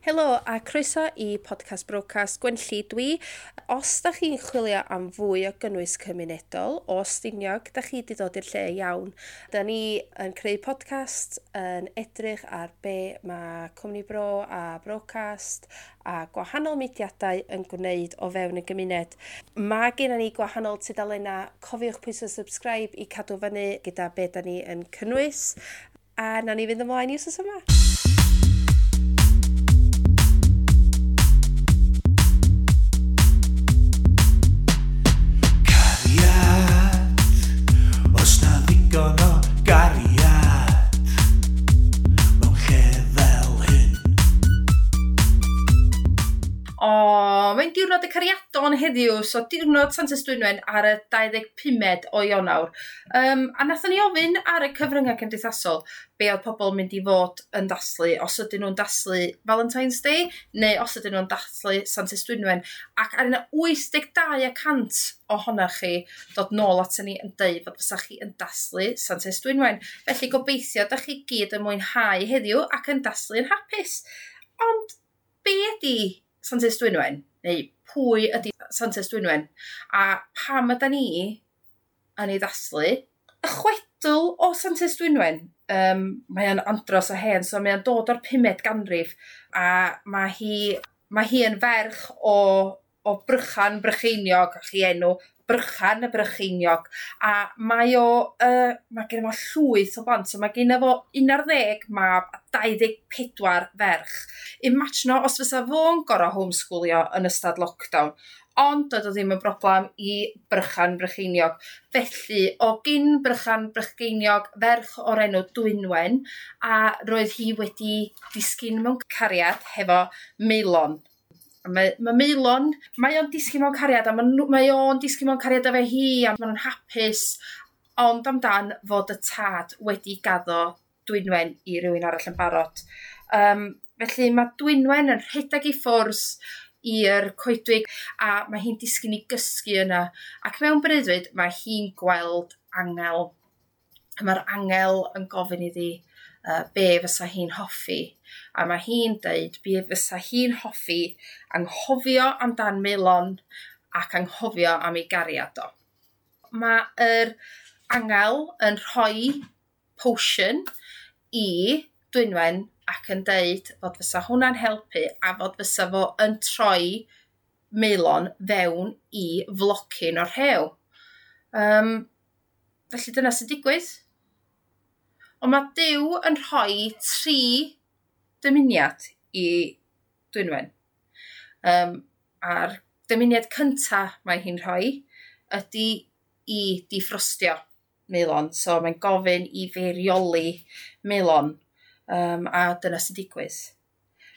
Helo a croeso i podcast Brocast Gwenlli dwi. Os da chi'n chwilio am fwy o gynnwys cymunedol o Stiniog, da chi wedi dod i'r lle iawn. Da ni yn creu podcast yn edrych ar be mae Cwmni Bro a Brocast a gwahanol mudiadau yn gwneud o fewn y gymuned. Mae gennym ni gwahanol tudalennau. Cofiwch pwyso subscribe i cadw fyny gyda be da ni yn cynnwys. A nawn ni fynd ymlaen i wsos yma. Cariad, os na ddigon o gariad mewn lle fel hyn. O, mae'n diwrnod y cariadon heddiw, so diwrnod Santes Dwynwen ar y 25 o Ionawr. A nathon ni ofyn ar y cyfryngau cymdeithasol be oedd pobl yn mynd i fod yn dathlu, os ydyn nhw'n dathlu Valentine's Day neu os ydyn nhw'n dathlu Santes Dwynwen. Ac ar yna 82% ohonoch chi dod nôl aton ni yn deud fod fysa chi yn dathlu Santes Dwynwen. Felly gobeithio da chi gyd yn mwynhau heddiw ac yn dathlu yn hapus. Ond be ydi Santes Dwynwen? Neu pwy ydi Santes Dwynwen? A pam ydan ni yn ei ddathlu? Y chwedl o Santes Dwynwen, mae o'n andros o hen, so mae o'n dod o'r 5eg ganrif, a mae hi yn ferch o Brychan Brycheiniog, a chi enw Brychan y Brycheiniog, a mae o, mae gen fo llwyth o blant, so mae gen fo 11 mab a 24 ferch. Imagino os fysa fo'n gor'o' homeschoolio yn ystod lockdown, ond doedd o ddim yn broblem i Brychan Brycheiniog. Felly, o gyn Brychan Brycheiniog, ferch o'r enw Dwynwen, a roedd hi wedi disgyn mewn cariad hefo Maelon. A mae Maelon, mae o'n disgyn mewn cariad, a mae o'n disgyn mewn cariad efo hi, a maen nhw'n hapus, ond amdan fod y tad wedi gaddo Dwynwen i rywun arall yn barod. Felly mae Dwynwen yn rhedeg i ffwrdd i'r coedwig, a mae hi'n disgyn i gysgu yna. Ac mewn breuddwyd, mae hi'n gweld angel. A mae'r angel yn gofyn iddi be fysa hi'n hoffi. A mae hi'n deud be fysa hi'n hoffi anghofio amdan Maelon ac anghofio am ei gariad o. Mae'r angel yn rhoi potion i Dwynwen ac yn deud fod fysa hwnna'n helpu a fod fysa fo yn troi Maelon fewn i flocyn o'r rhew. Felly dyna sy'n digwydd. Ond mae Duw yn rhoi 3 dymuniad i Dwynwen. A'r dymuniad cynta mae hi'n rhoi ydy i difrostio Maelon. So mae'n gofyn i feirioli Maelon. A dyna sy'n digwydd.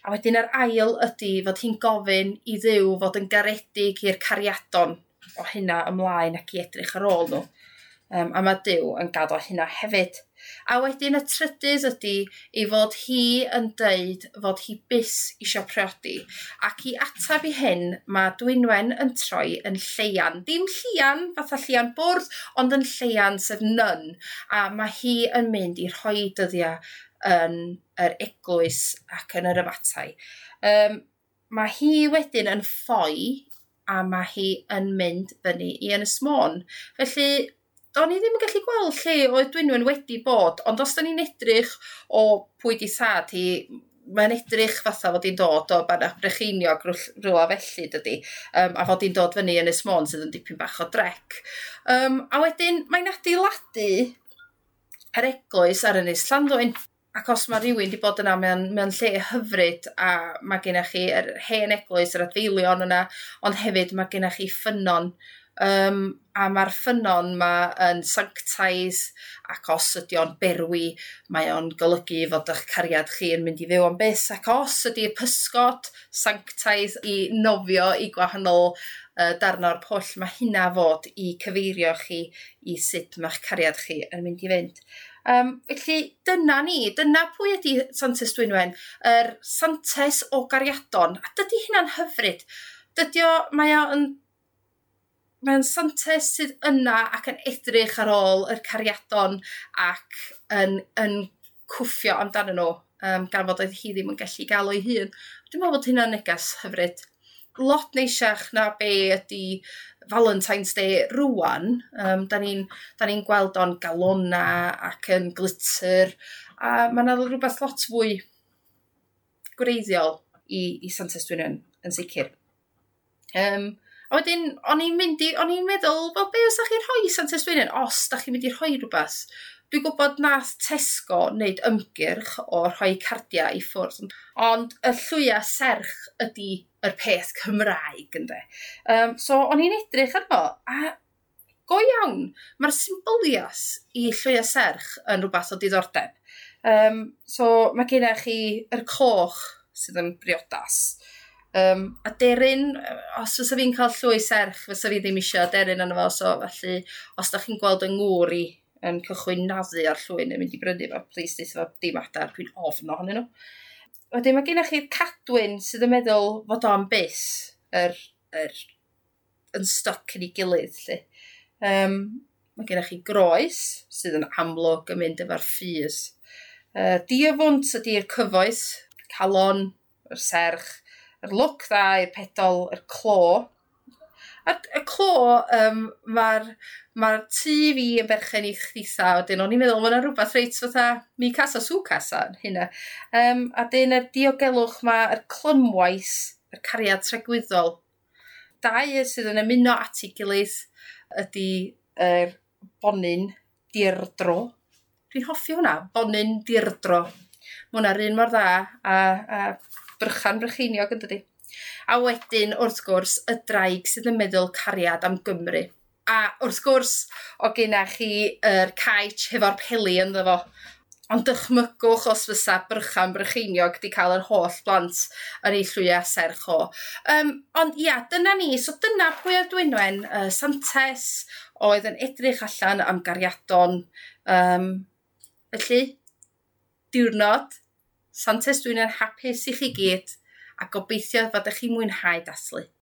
A wedyn yr ail ydy fod hi'n gofyn i Dduw fod yn garedig i'r cariadon o hynna ymlaen ac i edrych ar ôl nhw. A mae Duw yn gaddo hynna hefyd. A wedyn y trydydd ydy ei fod hi yn deud fod hi byth isio priodi. Ac i atab i hyn, mae Dwynwen yn troi yn lleian. Dim llian, fatha llian bwrdd, ond yn lleian sef nun. A mae hi yn mynd i rhoi dyddiau yn yr eglwys ac yn yr abatai. Mae hi wedyn yn ffoi a mae hi yn mynd fyny i Ynys Môn. Felly, do'n i ddim yn gallu gweld lle oedd Dwynwen wedi bod, ond os da ni'n edrych o pwy di thad hi, mae'n edrych fatha fod hi'n dod o Banach Brycheiniog rhywle felly, dydy, a fod hi'n dod fyny Ynys Môn sydd yn dipyn bach o drec. A wedyn mae'n adeiladu yr eglwys ar Ynys Llanddwyn. Ac os mae rhywun wedi bod yna, mae'n lle hyfryd, a mae gennych chi yr hen eglwys, yr adfeilion yna, ond hefyd mae gennych chi ffynnon. A mae'r ffynnon ma yn sanctaidd, ac os ydy o'n berwi, mae o'n golygu fod eich cariad chi yn mynd i fyw am byth, ac os ydy'r pysgod sanctaidd i nofio i gwahanol darn o'r pwll, mae hynna fod i cyfeirio chi i sut mae'ch cariad chi yn mynd i fynd. Felly dyna ni, dyna pwy ydy Santes Dwynwen, yr santes o gariadon, a dydy hynna'n hyfryd. Dydy o, mae o'n Mae'n santes sydd yna ac yn edrych ar ôl yr cariadon ac yn cwffio amdanyn nhw gan fod oedd hi ddim yn gallu gael o'i hun. Dwi'n meddwl bod hynna'n neges hyfryd. Lot neisiach na be ydy Valentine's Day rwan. Da ni'n ni gweld o'n galona ac yn glitter, a mae yna rhywbeth lot fwy gwreiddiol i Santes Dwynwen yn sicr. A wedyn, o'n i'n meddwl, wel, be os da chi'n rhoi Santes Dwynwen, os da chi'n mynd i rhoi rhywbeth? Dwi'n gwybod nath Tesco wneud ymgyrch o rhoi cardiau i ffwrdd, ond y llwya serch ydy yr peth Cymraeg, ynde. So, o'n i'n edrych arno, a go iawn, mae'r symbolias i llwya serch yn rhywbeth o diddordeb. So, mae gennych chi yr coch sydd yn briodas. A deryn, os fysa fi'n cael llwy serch, fysa fi ddim eisiau deryn arno fo, so felly os da chi'n gweld yng ngŵr i yn cychwyn naddu ar llwy neu mynd i brynu fo, please deutha fo dim adar, dwi'n ofn ohonyn nhw. Wedyn mae gennych chi'r cadwyn sydd yn meddwl fod o'n bus, yr yn stuck yn ei gilydd, lle. Mae gennych chi groes sydd yn amlwg yn mynd efo'r ffys. Diafwnt ydy'r cyfoeth, calon, yr serch, yr lwc dda i'r pedol, yr clo. A y clo, mae'r ma tŷ fi yn berchen i chditha, wedyn o'n i'n meddwl, mae yna rhywbeth reit fatha mi casa su casa yn hynna. A dyn y diogelwch mae yr clymwaith, yr cariad tragwyddol. Dau sydd yn ymuno at ei gilydd ydy yr bonyn dirdro. Dwi'n hoffi hwnna, bonyn dirdro. Mae hwnna'r un mor dda a Brychan Brycheiniog yn dydi. A wedyn, wrth gwrs, y draig sydd yn meddwl cariad am Gymru. A wrth gwrs, o genna chi yr caets hefo'r peli ynddo fo. Ond dychmygwch os fysa Brychan Brycheiniog di cael yr holl blant yn ei llwya serch o. Ond ia, dyna ni. So dyna pwy oedd Dwynwen, santes oedd yn edrych allan am gariadon. Felly, diwrnod Santes Dwynwen hapus i chi gyd, a gobeithio fod ych chi'n mwynhau dathlu.